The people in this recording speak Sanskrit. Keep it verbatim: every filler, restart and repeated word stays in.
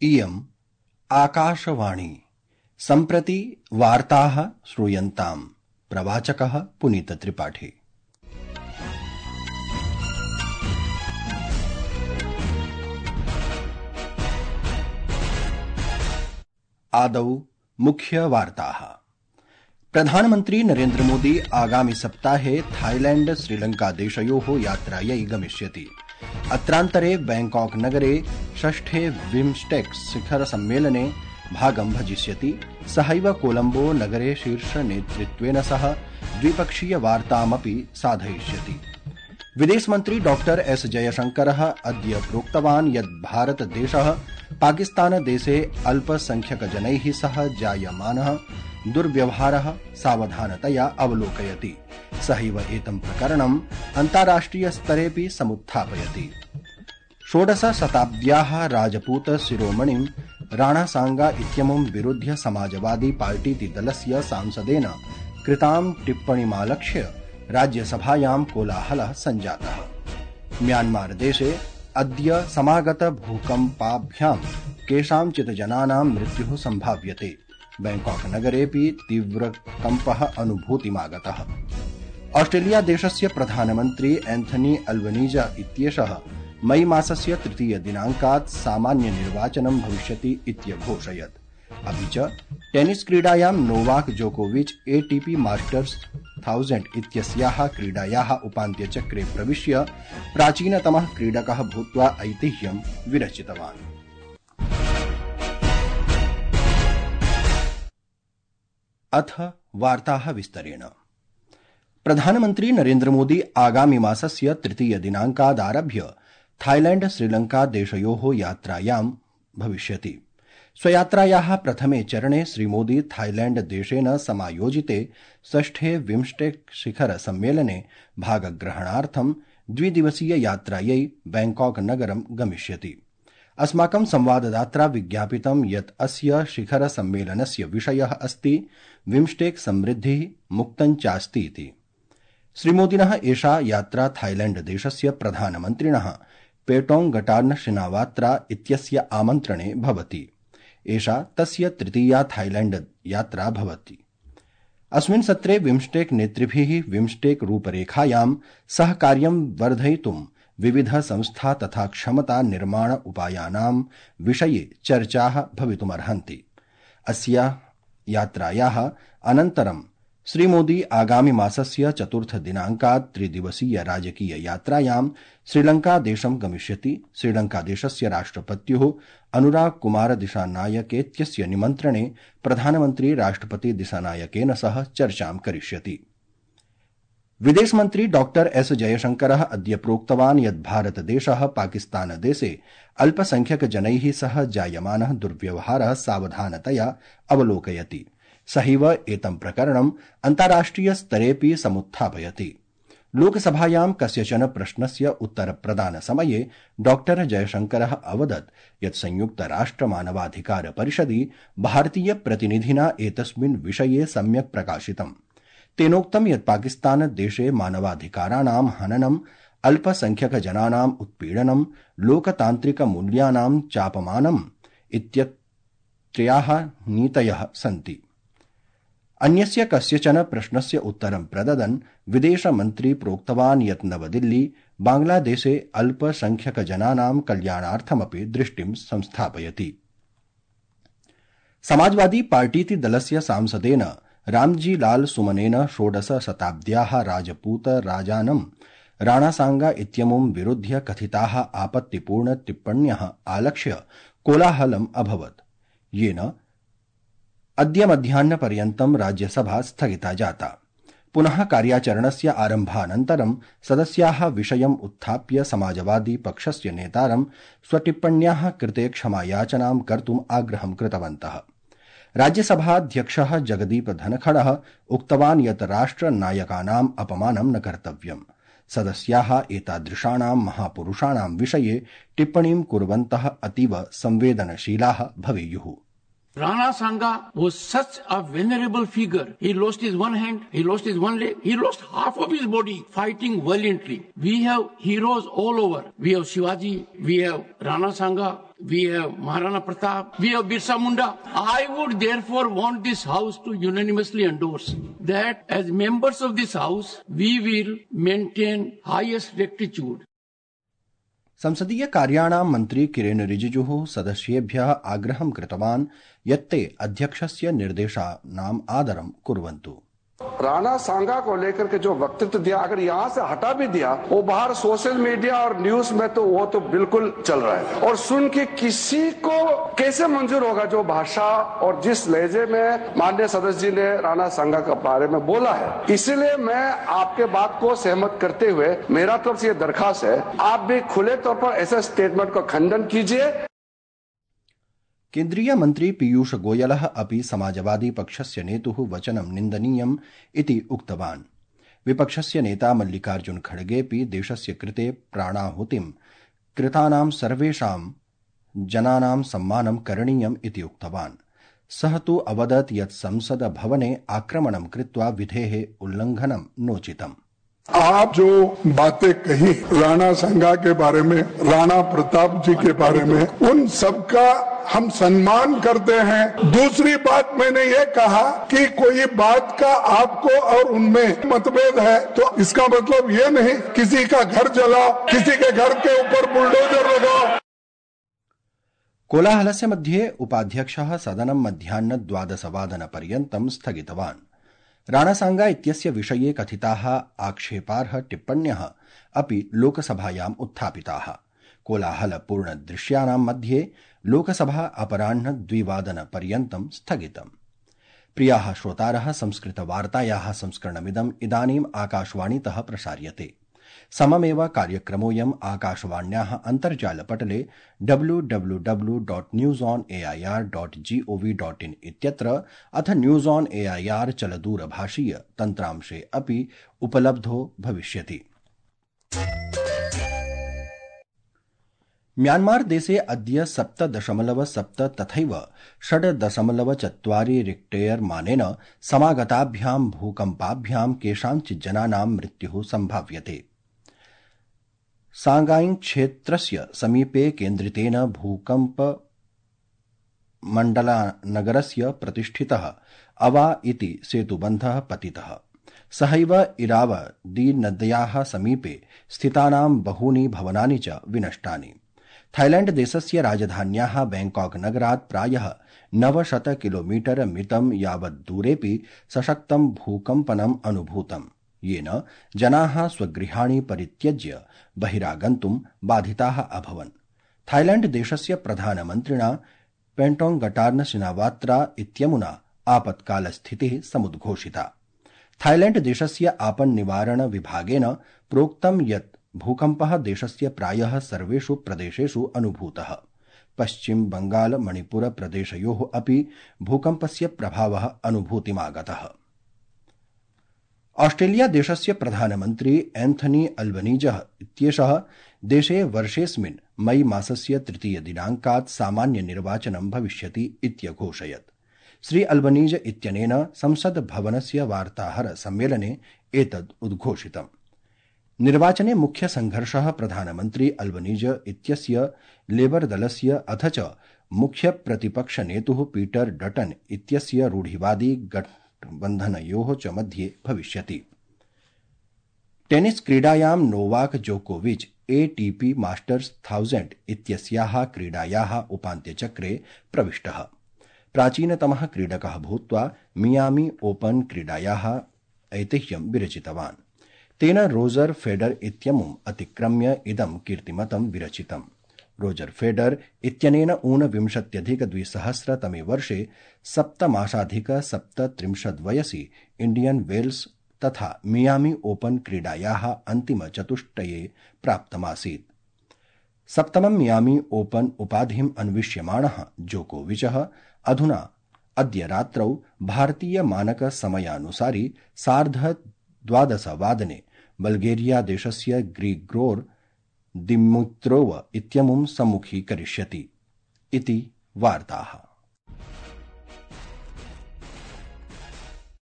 इयम् आकाशवाणी। सम्प्रति वार्ताः श्रूयन्ताम्। प्रवाचकः पुनीत त्रिपाठी। आदौ मुख्य वार्ताः। प्रधानमन्त्री नरेन्द्र मोदी आगामि सप्ताहे थाईलैण्ड श्रीलंका देशयोः यात्रायै गमिष्यति। अत्रान्तरे बैंकॉक नगरे षष्ठे बिम्स्टेक्स शिखर सम्मेलने भागं भजिष्यति। सहैव कोलंबो नगरे शीर्ष नेतृत्वेन सह द्विपक्षीय वार्तामपि साधयिष्यति। विदेशमन्त्री डॉक्टर एस जयशंकरः अद्य प्रोक्तवान् यत् भारतदेशः पाकिस्तानदेशे अल्पसंख्यकजनैः सह जायमानः दुर्व्यवहारः सावधानतया अवलोकयति। सहैव एतं प्रकरणम् अन्ताराष्ट्रिय स्तरेऽपि समुत्थापयति। षोडश शताब्द्याः राजपूत शिरोमणिं राणा सांगा इत्यमुं विरुध्य समाजवादी पार्टीति दलस्य सांसदेन कृतां टिप्पणीमालक्ष्य राज्यसभायां कोलाहलः सञ्जातः। म्यांमार देशे अद्य समागत भूकम्पाभ्यां केषांचित् जनानां मृत्युः सम्भाव्यते। बैंकॉक नगरेऽपि तीव्रकम्पः अनुभूतिमागतः। ऑस्ट्रेलिया देशस्य प्रधानमन्त्री एंथनी अल्बनीज़ इत्येषः मई मासस्य तृतीय दिनाङ्कात् सामान्य निर्वाचनं भविष्यति इत्यघोषयत्। अपि च टेनिस क्रीडायां नोवाक जोकोविच एटीपी मास्टर्स थाउजेंड इत्यस्याः क्रीडायाः उपान्त्यचक्रे प्रविश्य प्राचीनतमः क्रीडकः भूत्वा ऐतिह्यं विरचितवान्। अथ वार्ताः विस्तरेण। प्रधानमन्त्री नरेन्द्र मोदी आगामि मासस्य तृतीय दिनाङ्कादारभ्य थाईलैण्ड श्रीलंका देशयोः यात्रायां भविष्यति। स्वयात्रायाः प्रथमे चरणे श्रीमोदी थाईलैण्ड देशेन समायोजिते षष्ठे बिम्स्टेक शिखर सम्मेलने भागग्रहणार्थं द्विदिवसीय यात्रायै बैंकॉक नगरं गमिष्यति। अस्माकं संवाददात्रा विज्ञापितं यत् अस्य शिखर सम्मेलनस्य विषयः अस्ति बिम्स्टेक समृद्धिः मुक्तं चास्ति इति। श्रीमोदिनः एषा यात्रा थाईलैण्ड देशस्य प्रधानमन्त्रिणः पेटोंगटार्न शिनावात्रा इत्यस्य आमन्त्रणे भवति। एषा तस्य तृतीया थाईलैण्ड यात्रा भवति। अस्मिन् सत्रे बिम्स्टेक नेतृभिः बिम्स्टेक रूपरेखायां सहकार्यं वर्धयितुं विविध संस्था तथा क्षमता निर्माण उपायानां विषये चर्चाः भवितुमर्हन्ति। अस्याः यात्रायाः अनन्तरं श्रीमोदी आगामि मासस्य चतुर्थ दिनाङ्कात् त्रिदिवसीय राजकीय यात्रायां श्रीलंका देशं गमिष्यति। श्रीलंका देशस्य राष्ट्रपत्युः अनुराग कुमार दिशानायकेत्यस्य निमन्त्रणे प्रधानमन्त्री राष्ट्रपति दिशानायकेन सह चर्चां करिष्यति। विदेशमन्त्री डॉक्टर एस जयशंकरः अद्य प्रोक्तवान् यत् भारतदेशः पाकिस्तानदेशे अल्पसंख्यकजनैः सह जायमानः दुर्व्यवहारः सावधानतया अवलोकयति। सहैव एतं प्रकरणम् अन्ताराष्ट्रिय स्तरेऽपि समुत्थापयति। लोकसभायां कस्यचन प्रश्नस्य उत्तरप्रदानसमये डॉक्टर जयशंकरः अवदत् यत् संयुक्तराष्ट्र मानवाधिकार परिषदि भारतीय प्रतिनिधिना एतस्मिन् विषये सम्यक् प्रकाशितम्। तेनोक्तं यत् पाकिस्तान देशे मानवाधिकाराणां हननम्, अल्पसंख्यकजनानाम् उत्पीडनं, लोकतान्त्रिकमूल्यानां चापमानम् इत्यत्रयाः नीतयः सन्ति। अन्यस्य कस्यचन प्रश्नस्य उत्तरं प्रददन् विदेशमन्त्री प्रोक्तवान् यत् नवदिल्ली बांग्लादेशे अल्पसंख्यकजनानां कल्याणार्थमपि दृष्टिं संस्थापयति। समाजवादी पार्टीति दलस्य सांसदेन रामजी लाल सुमनेन षोडश शताब्द्याः राजपूत राजानं राणा सांगा इत्यमुं विरुध्य कथिताः आपत्तिपूर्ण टिप्पण्यः आलक्ष्य कोलाहलम् अभवत्, येन अद्य मध्याह्नपर्यन्तं राज्यसभा स्थगिता जाता। पुनः कार्याचरणस्य आरम्भानन्तरं सदस्याः विषयम् उत्थाप्य समाजवादी पक्षस्य नेतारं स्वटिप्पण्याः कृते क्षमायाचनां कर्तुम् आग्रहं कृतवन्तः। राज्यसभाध्यक्षः जगदीप धनखडः उक्तवान् यत् राष्ट्रनायकानाम् अपमानं न कर्तव्यम्। सदस्याः एतादृशानां महापुरुषाणां विषये टिप्पणीं कुर्वन्तः अतीव संवेदनशीलाः भवेयुः। Rana Sanga was such a venerable figure. He lost his one hand, he lost his one leg, he lost half of his body fighting valiantly. We have heroes all over. We have Shivaji, we have Rana Sanga, we have Maharana Pratap, we have Birsa Munda. I would therefore want this house to unanimously endorse that as members of this house, we will maintain highest rectitude. संसदीय कार्याणां मन्त्री किरेन रिजिजुः सदस्येभ्यः आग्रहं कृतवान् यत् ते अध्यक्षस्य निर्देशानाम् आदरं कुर्वन्तु। राणा सांगा को लेकर के जो वक्तव्य दिया, अगर यहाँ से हटा भी दिया, वो बाहर सोशल मीडिया और न्यूज में तो वो तो बिल्कुल चल रहा है और सुन के किसी को कैसे मंजूर होगा जो भाषा और जिस लहजे में माननीय सदस्य जी ने राणा सांगा के बारे में बोला है। इसलिए मैं आपके बात को सहमत करते हुए मेरा तरफ से ये दरखास्त है, आप भी खुले तौर पर ऐसे स्टेटमेंट का खंडन कीजिए। केन्द्रीय मन्त्री पीयूष गोयलः अपि समाजवादी पक्षस्य नेतुः वचनं निन्दनीयम् इति उक्तवान्। विपक्षस्य नेता मल्लिकार्जुन खड़गेऽपि देशस्य कृते प्राणाहुतिं कृतानां सर्वेषां जनानां सम्मानं करणीयम् इति उक्तवान्। सः तु अवदत् यत् संसद भवने आक्रमणं कृत्वा विधेः उल्लङ्घनं नोचितम्। आप जो बातें कही राणा संगा के बारे में, राणा प्रताप जी के बारे में, उन सबका हम सम्मान करते हैं। दूसरी बात मैंने ये कहा कि कोई बात का आपको और उनमें मतभेद है तो इसका मतलब ये नहीं किसी का घर जलाओ, किसी के घर के ऊपर बुलडोजर लगाओ। कोलाहलस्य मध्ये उपाध्यक्षः सदनं मध्याह्न द्वादशवादनपर्यन्तं स्थगितवान्। राणासांगा इत्यस्य विषये कथिताः आक्षेपार्ह टिप्पण्यः अपि लोकसभायाम् उत्थापिताः। कोलाहलपूर्णदृश्यानां मध्ये लोकसभा अपराह्न द्विवादनपर्यन्तं स्थगितम्। प्रियाः श्रोतारः, संस्कृतवार्तायाः संस्करणमिदम् इदानीम् आकाशवाणीतः प्रसार्यते। सममेव कार्यक्रमोऽयम् आकाशवाण्याः अन्तर्जालपटले W W W dot news on A I R dot G O V dot in इत्यत्र अथ news on A I R चलदूरभाषीय तन्त्रांशे अपि उपलब्धो भविष्यति। म्यान्मार देशे अद्य सप्त दशमलव सप्त तथैव षड् दशमलव चत्वारि रिक्टेयर मानेन समागताभ्यां भूकम्पाभ्यां केषाञ्चित् जनानां मृत्युः सम्भाव्यते। सांगाई क्षेत्रस्य समीपे केन्द्रितेन भूकम्प मण्डलानगरस्य प्रतिष्ठितः अवा इति सेतुबन्धः पतितः। सहैव इरावदी नद्याः समीपे स्थितानां बहूनि भवनानि च विनष्टानि। थाईलैण्ड देशस्य राजधान्याः बैंकॉक नगरात् प्रायः नवशत किलोमीटर मितं यावत् दूरेऽपि सशक्तं भूकम्पनम् अनुभूतम्, येन जनाः स्वगृहाणि परित्यज्य बहिरागन्तुं बाधिताः अभवन्। थाईलैण्ड देशस्य प्रधानमन्त्रिणा पेन्टोंगटार्न सिनावात्रा इत्यमुना आपत्कालस्थितिः समुद्घोषिता। थाईलैण्ड देशस्य आपन् निवारण विभागेन प्रोक्तं यत् भूकम्पः देशस्य प्रायः सर्वेषु प्रदेशेषु अनुभूतः। पश्चिम बंगाल मणिपुर प्रदेशयोः अपि भूकम्पस्य प्रभावः अनुभूतिमागतः। ऑस्ट्रेलिया देशस्य प्रधानमन्त्री एन्थनी अल्बनीजः इत्येषः देशे वर्षेऽस्मिन् मई मासस्य तृतीय दिनाङ्कात् सामान्य निर्वाचनं भविष्यति इत्यघोषयत्। श्री अल्बनीज इत्यनेन संसद भवनस्य वार्ताहर सम्मेलने एतद् उद्घोषितम्। निर्वाचने मुख्य संघर्षः प्रधानमन्त्री अल्बनीज इत्यस्य लेबर दलस्य अथ च मुख्य प्रतिपक्ष नेतुः पीटर डटन इत्यस्य रूढिवादी गठबन्धनयोः च मध्ये भविष्यति। टेनिस क्रीडायां नोवाक जोकोविच एटीपी मास्टर्स थाउजेंड इत्यस्याः क्रीडायाः उपान्त्यचक्रे प्रविष्टः। प्राचीनतमः क्रीडकः भूत्वा मियामी ओपन क्रीडायाः ऐतिह्यं विरचितवान्। तेन रोजर फेडर इत्यमुम् अतिक्रम्य इदं कीर्तिमतं विरचितम्। रोजर फेडर इत्यनेन ऊनविंशत्यधिकद्विसहस्रतमे वर्षे सप्तमासाधिक सप्तत्रिंशद् वयसि इंडियन वेल्स तथा मियामी ओपन क्रीडायाः अन्तिमचतुष्टये प्राप्तमासीत्। सप्तमं मियामी ओपन उपाधिम् अन्विष्यमाणः जोकोविचः अधुना अद्य रात्रौ भारतीय मानक समयानुसारि सार्ध द्वादशवादने बल्गेरिया देशस्य ग्रिगोर दिमित्रोव इत्यमुं सम्मुखीकरिष्यति इति वार्ताः।